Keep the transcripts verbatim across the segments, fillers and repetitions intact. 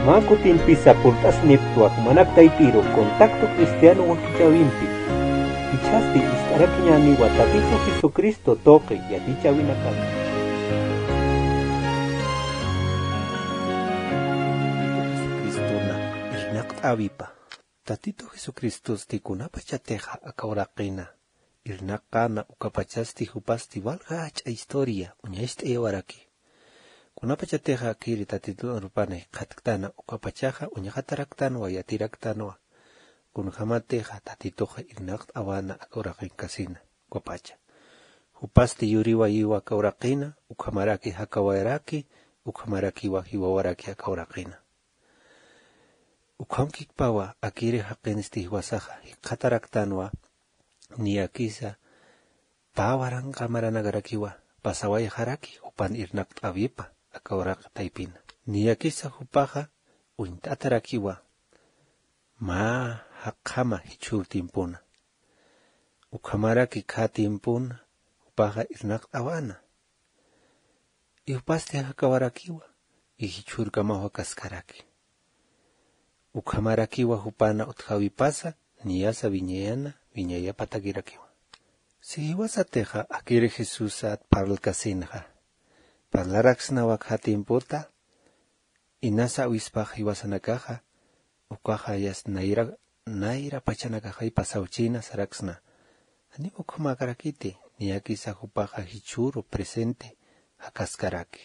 Mä kutimpisa purt'asniptwa jumanak taypiru Contacto Cristiano wakichäwimpi. Jichhasti ist'arakiñäniwa Tatitu Jesucristo tuqi yatichäwinakata. Jesucristona irnaqt'äwipa. Tatitu Jesucristosti kunapachatixa aka uraqina irnaqäna, ukapachasti jupasti walja jach'a historia uñacht'ayawaraki. Kunapachatixa akiri Tatitun arupana jikxatktäna, ukapachaxa uñxataraktanwa, yatiraktanwa. Kunjämatixa Tatituxa irnaqt'awäna aka uraqinkasina ukapacha. Jupasti yuriwayiwa aka uraqina, ukhamaraki jakawayaraki, ukhamarakiwa jiwawaraki aka uraqina. Ukhamkikpawa akiri jaqinsti jiwasaxa jikxataraktanwa, niyakisa pä waranqa maranakarakiwa pasawayxaraki jupan irnaqt'äwipa aka uraq taypina. Niyakisa jupaxa uñt'atarakiwa mä jaqjama jichhür tiempona. Ukhamaraki khä tiempona jupaxa irnaqt'awäna. Y jupasti jakawarakiwa, y jichhürkamaw jakaskaraki. Ukhamarakiwa jupana utjäwipasa, niyasa wiñayana, wiñayapatakirakiwa. Si jiwasatixa akiri Jesusat parlkasinxa, parlaraksnawa khä tiempota, inasa awispax jiwasanakaxa, ukaxa yas nayra, nayra pachanakaxay pasawchina saraksna. Janiw ukhamakarakiti, niyakisa jupaxa jichhüru presente jakaskaraki.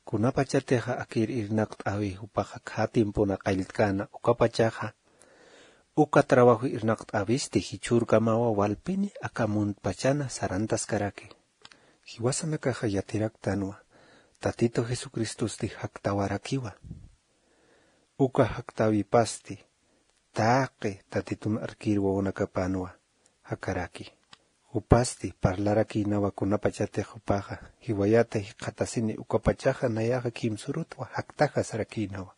Kunapachatixa akir irnaqt'äwi jupaxa khä tiempona qalltkäna, ukapachaxa uka trabajo irnaqt'äwisti jichhürkamawa walpini aka muntpachana sarantaskaraki. Jiwasanakaxa yatiraktanwa, Tatitu Jesucristosti jaktawarakiwa. Uka jaktäwipasti, taqi Tatitun arkir wawanakapanwa jakaraki. Jupasti parlarakïnawa kunapachatix jupaxa jiwayata jikxatasini, ukapachaxa nayaxa kimsürutwa jaktaxa sarakïnawa.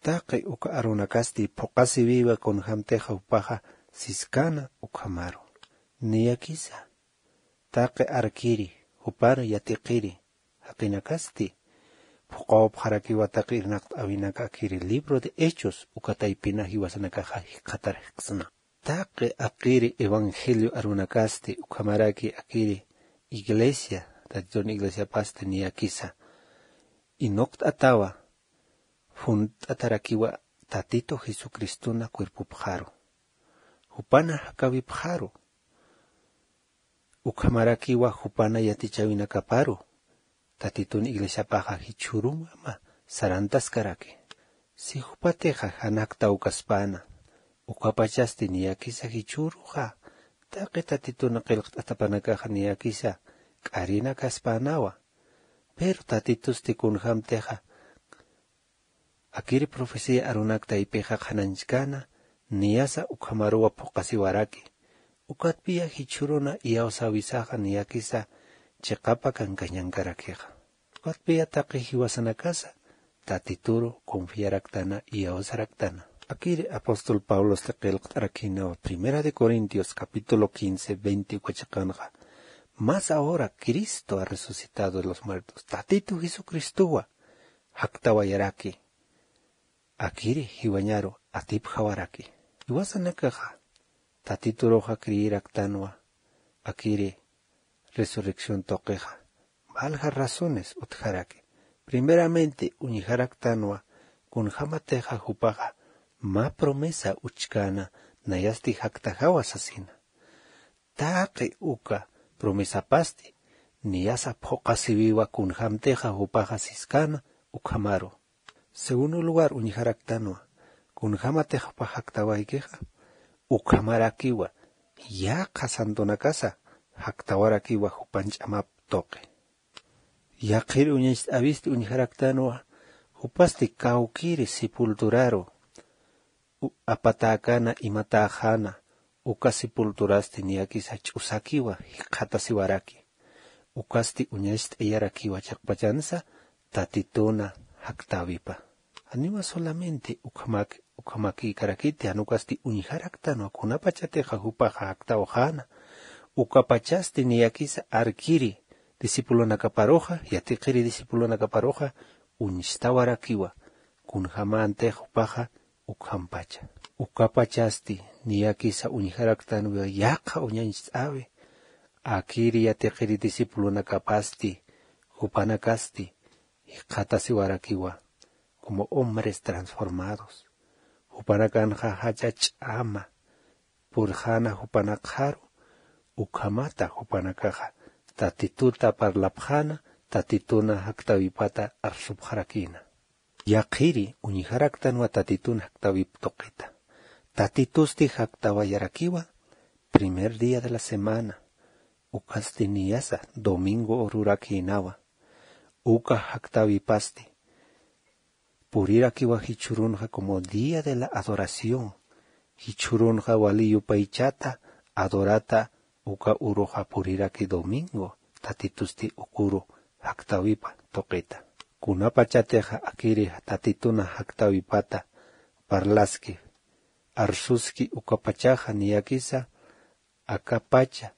Taqi uka arunakasti phuqhasiwiwa kunjämtixa jupaxa siskäna ukhamaru. Niyakisa taqi arkiri, jupar yatiqiri jaqinakasti phuqhawapxarakiwa taqi irnaqt'äwinaka akiri libro de Hechos uka taypina jiwasanakaxa jikxatar jikxsna. Taqi akiri evangelio arunakasti ukhamaraki akiri iglesia, Tatitun iglesiapasti niyakisa inuqt'atawa, junt'atarakiwa Tatitu Jesucristona cuerpopxaru. Jupana jakäwipxaru. Ukhamarakiwa jupana yatichäwinakaparu, Tatitun iglesiapaxa jichhürumama sarantaskaraki. Si jupatixa jan jaktawkaspäna, ukapachasti niyakisa jichhüruxa, taqi Tatitun qillqt'atapanakaxa niyakisa k'arinakaspänawa. Pero Tatitusti kunjämtixa akiri profecía arunak taypixa qhanañchkäna, niyasa ukhamaruwa phuqhasiwaraki. Ukatpiya jichhüruna iyawsäwisaxa niyakisa chiqapa kankañankarakixa. Ukatpiya taqi jiwasanakasa Tatituru confiaraktana, iyawsaraktana. Akiri apóstol Pablosti qillqt'arakïnawa Primera de Corintios capítulo quince, veinte uka chiqanxa, mas ahora Cristo ha resucitado de los muertos. Tatitu Jesucristowa jaktawayaraki. Akiri jiwañaru atipjawaraki. Jiwasanakaxa Tatituruxa creeraktanwa akiri resurrección tuqixa. Valja razones utjaraki. Primeramente uñjaraktanwa kunjämatixa jupaxa mä promesa uchkäna, nayasti jaktajawa sasina. Taqi uka promesapasti niyasa phuqhasiwiwa kunjämtixa jupaxa siskäna ukhamaru. Segundo lugar, uñjaraktanwa kunjämatix jupax jaktawaykixa, ukhamarakiwa yaqha santonakasa jaktawarakiwa jupan ch'amap tuqi. Yaqhir uñacht'äwisti uñjaraktanwa, jupasti kawkiri sepulturaru u-, apatäkäna imatäxäna, uka sepulturasti niyakisa ch'usakiwa jikxatasiwaraki. Ukasti uñacht'ayarakiwa chiqpachansa Tatituna jaktäwipa. Janiwa solamente ukhamak-, ukhamakïkarakiti, jan ukasti uñjaraktanwa kunapachatixa jupaxa jaktawxäna, ukapachasti niyakisa arkiri discipulonakaparuxa, yatiqiri discipulonakaparuxa uñstawarakiwa. Kunjamänti jupaxa ukhampacha. Ukapachasti niyakisa uñjaraktanwa yaqha uñañcht'äwi, akiri yatiqiri discipulonakapasti, jupanakasti jikxatasiwarakiwa como hombres transformados. Jupanakanxa jach'a ch'ama purxäna jupanakxaru, ukhamata jupanakaxa Tatituta parlapxäna, Tatituna jaktäwipata arsupxarakïna. Yaqhiri uñjaraktanwa Tatitun jaktäwip tuqita. Tatitusti jaktäwayarakiwa primer día de la semana, ukasti niyasa domingo ururakïnawa. Uka jaktäwipasti purirakiwa jichhürunxa como día de la adoración, jichhürunxa wali yupaychata adorata uka uruxa puriraki domingo, Tatitusti uk uru jaktäwipa tuqita. Kunapachatixa akiri Tatituna jaktäwipata parlaski, arsuski ukapachaxa niyakisa akapacha,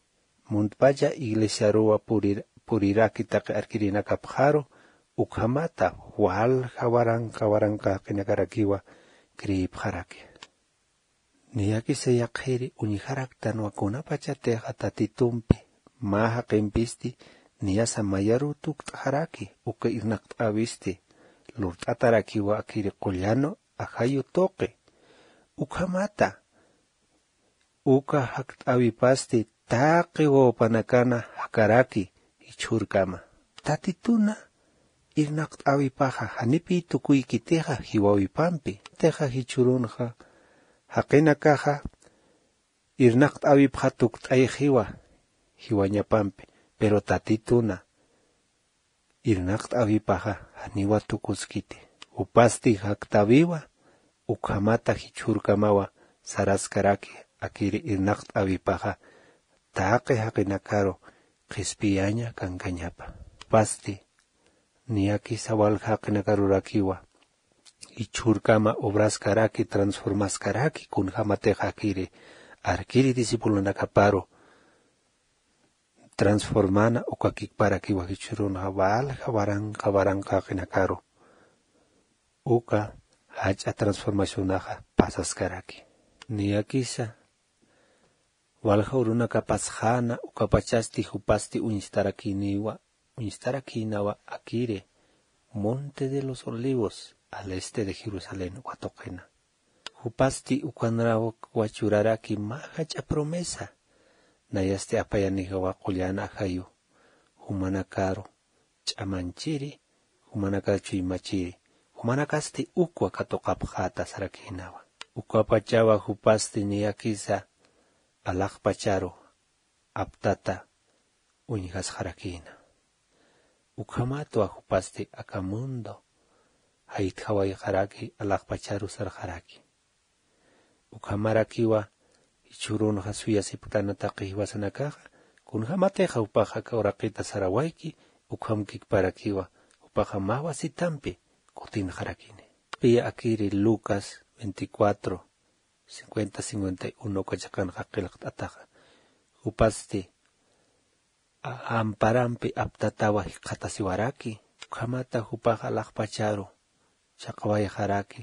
muntpacha iglesiaruwa purir-, puriraki taqi arkirinakapxaru, ukhamata walja waranqa waranqa jaqinakarakiwa creepxaraki. Niyakisa yaqhiri uñjaraktanwa kunapachatixa Tatitumpi mä jaqimpisti niyasa mayaruw tukt'xaraki, uka irnaqt'äwisti lurt'atarakiwa akiri qullan ajayu tuqi. Ukhamata uka jakt'äwipasti taqi wawapanakana jakaraki jichhürkama. Tatituna irnaqt'äwipaxa janipï tukuykitixa jiwäwipampi. Tixa jichhürunxa jaqinakaxa irnaqt'äwipxa tukt'ayxiwa jiwañapampi, pero Tatituna irnaqt'äwipaxa janiwa tukuskiti. Jupasti jaktäwiwa, ukhamata jichhürkamawa saraskaraki, akiri irnaqt'äwipaxa taqi jaqinakaru qhispiyaña kankañapa. Jupasti niyakisa walja jaqinakarurakiwa jichhürkama obraskaraki, transformaskaraki, kunjamatixa akiri arkiri discipulonakaparu transformana ukakikparakiwa jichhürunxa walja waranqa waranqa jaqinakaru uka jach'a transformacionaxa pasaskaraki. Niyakisa walja urunakapasxäna ukapachasti jupasti uñstarakïniwa, uñstarakïnawa akiri Monte de los Olivos, al este de Jerusalén uka tuqina. Jupasti ukanraw churaraki mä jach'a promesa. Nayasti apayanijawa qullan ajayu, jumanakaru ch'amanchiri, jumanakaru chuymachiri, jumanakasti ukwa katuqapxäta sarakïnawa. Ukapachawa jupasti niyakisa alaxpacharu aptata uñjasxarakïna. Ukhamatwa jupasti aka mundo jaytjawayxaraki, alaxpacharu sarxaraki. Ukhamarakiwa jichhürunxa suyasipktana taqi jiwasanakaxa, kunjamatixa jupaxa aka uraqita sarawayki, ukhamkikparakiwa jupaxa mä wasitampi kutinxarakini. Piya akiri Lucas veinticuatro, cincuenta, cincuenta y uno uka chiqanxa qillqt'ataxa. Jupasti a-, amparampi aptatawa jikxatasiwaraki, ukhamata jupaxa alaxpacharu chaqwayxaraki.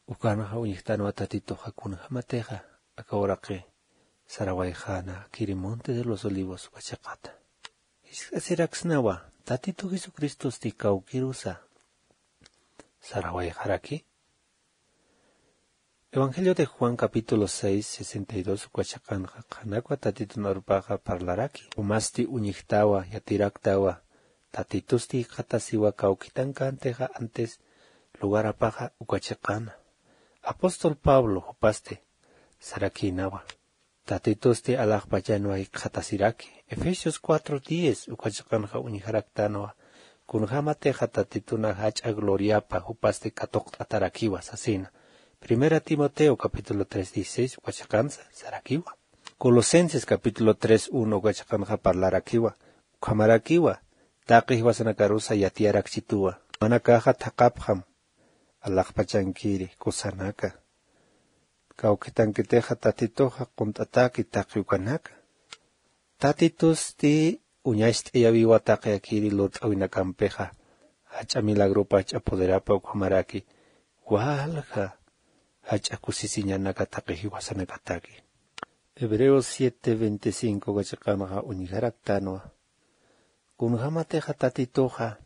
Ukanxa uñjtanwa Tatituxa kunjamatixa aka uraqi sarawayxäna akiri Monte de los Olivos uka chiqata. Jisk'asiraksnawa, Tatitu Jesucristosti kawkirusa sarawayxaraki. Evangelio de Juan capítulo seis, sesenta y dos uka chiqanxa qhanakwa Tatitun arupaxa parlaraki. Jumasti uñjtawa, yatiraktawa, Tatitusti jikxatasiwa kawkitankäntixa antes lugarapaxa uka chiqana. Apóstol Pablo jupasti sarakïnawa. Tatitusti alaxpachanwa jikxatasiraki. Efesios cuatro diez uka chiqanxa uñjaraktanwa. Kunjamatixa Tatituna jach'a gloriapa jupasti katuqt'atarakiwa sasina. Primera Timoteo capítulo tres dieciséis uka chiqansa sarakiwa. Colosenses capítulo tres uno uka chiqanxa parlarakiwa. Ukhamarakiwa taqi jiwasanakarusa yatiyarakchituwa. Jumanakaxa thaqhapxam alaxpachankiri kusanaka. Kawkitankitixa Tatituxa qunt'ataki taqi ukanaka. Tatitusti uñacht'ayäwiwa taqi akiri lurt'äwinakampixa. jach'a milagropa jach'a poderapa ukhamaraki walja jach'a kusisiñanaka taqi jiwasanakataki. Hebreos siete veinticinco kachiqanxa uñjaraktanwa. Kunjämatixa tatituxa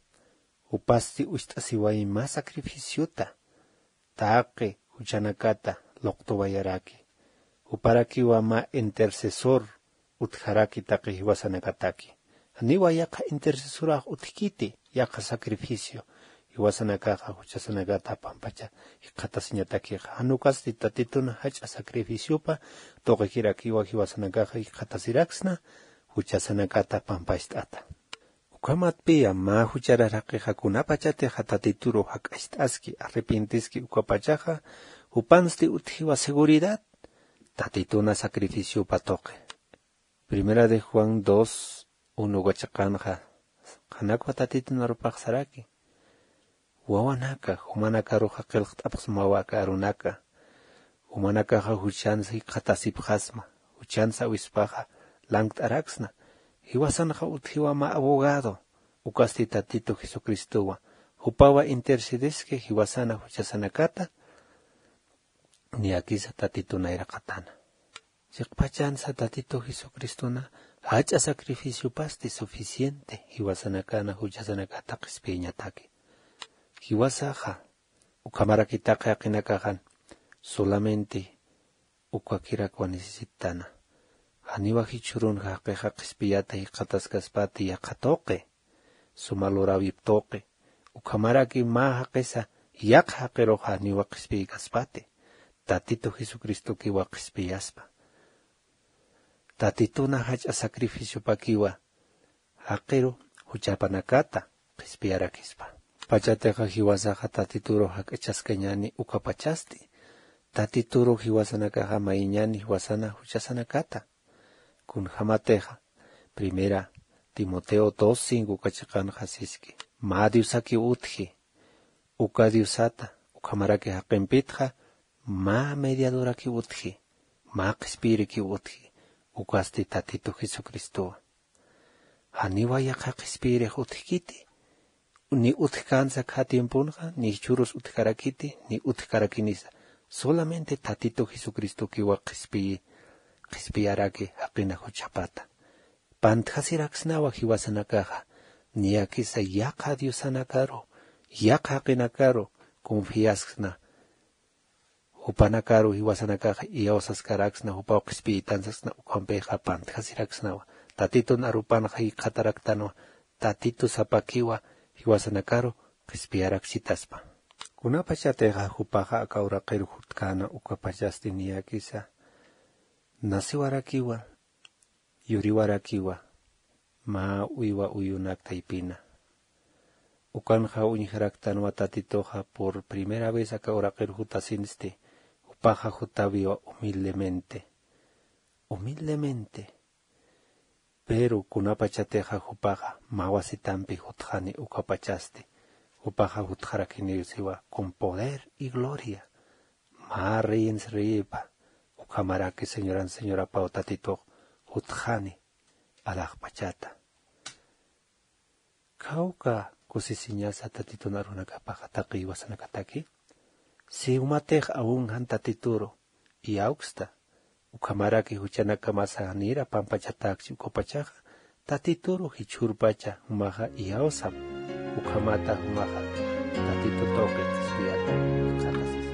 jupasti ucht'asiwayi mä sacrificiota taqi juchanakata luqtuwayaraki. Juparakiwa mä intercesor utjaraki taqi jiwasanakataki. Janiwa yaqha intercesorax utjkiti yaqha sacrificio jiwasanakaxa juchasanakata pampacha jikxatasiñatakixa. Jan ukasti tatitun jach'a sacrificiopa tuqikirakiwa jiwasanakaxa jikxatasiraksna juchasanakata pampacht'ata. Ukhamatpiya mä jucharar jaqixa kunapachatixa tatituru jak'acht'aski arrepentiski ukapachaxa jupansti utjiwa seguridad tatituna sacrificiopa tuqi. Primera de Juan dos, uno kachiqanxa qhanakwa tatitun arupax saraki. Wawanaka jumanakaruxa qillqt'apxsmawa aka arunaka. Jumanakaxa juchansa jikxatasipxasma juchansa awispaxa lankt'araksna. Jiwasanxa utjiwa mä abogado ukasti tatitu jesucristowa jupawa intercedeski jiwasana juchasanakata. Niyakisa tatitun nayraqatana. Chiqpachansa tatitu jesucristona jach'a sacrificiopasti suficiente jiwasanakana juchasanakata qhispiyañataki. Jiwasaxa ukhamarakitaqi jaqinakaxan solamente ukakirakwa necesittana. Janiwa jichhürunxa jaqixa qhispiyata jikxataskaspati yaqha tuqi suma luräwip tuqi. Ukhamaraki mä jaqisa yaqha jaqirux janiwa qhispiykaspati tatitu jesucristokiwa qhispiyaspa. Tatituna jach'a sacrificiopakiwa jaqiru juchapanakata qhispiyarakispa. Pachatixa jiwasaxa tatituru jak'achaskañani ukapachasti tatituru jiwasanakaxa mayiñani jiwasana juchasanakata. Kunjämatixa primera timoteo dos cinco kachiqanxa siski mä diosakiw utji uka diosata ukhamaraki jaqimpitxa mä mediadorakiw utji mä qhispiyirikiw utji ukasti tatitu jesucristowa. Janiwa yaqha qhispiyirix utjkiti ni utjkänsa khä tiemponxa ni jichhürus utjkarakiti ni utjkarakinisa. Solamente tatitu jesucristokiwa qhispiyi qhispiyaraki jaqina juchhapata. Pantjasiraksnawa jiwasanakaxa niyakisa yaqha diosanakaru yaqha jaqinakaru confiasksna. Jupanakaru jiwasanakaxa iyawsaskaraksna jupaw qhispiyitansasna ukhampixa pantjasiraksnawa. Tatitun arupanxa jikxataraktanwa tatitu sapakiwa jiwasanakaru qhispiyaraksitaspa. Kunapachatixa jupaxa aka uraqiru jutkäna ukapachasti niyakisa nasiwarakiwa yuriwarakiwa mä uywa uyunak taypina. Ukanxa uñjaraktanwa tatituxa por primera vez aka uraqir jutasinsti jupaxa jutawiwa humildemente humildemente. Pero kunapachatixa jupaxa mä wasitampi jutxani ukapachasti jupaxa jutxarakiniw siwa con poder y gloria. Mä reyens reyipa ukhamaraki señoran señorapaw tatitux jutxani alaxpachata. Khawka kusisiñasa tatitun arunakapaxa taqi jiwasanakataki. Si jumatix awun jan tatituru iyawksta ukhamaraki juchanakamasa janira pampachatäkchi ukapachaxa tatituru jichhürpacha jumaxa iyawsam. Ukhamata jumaxa tatitu tuqi qhispiyata qhatasis.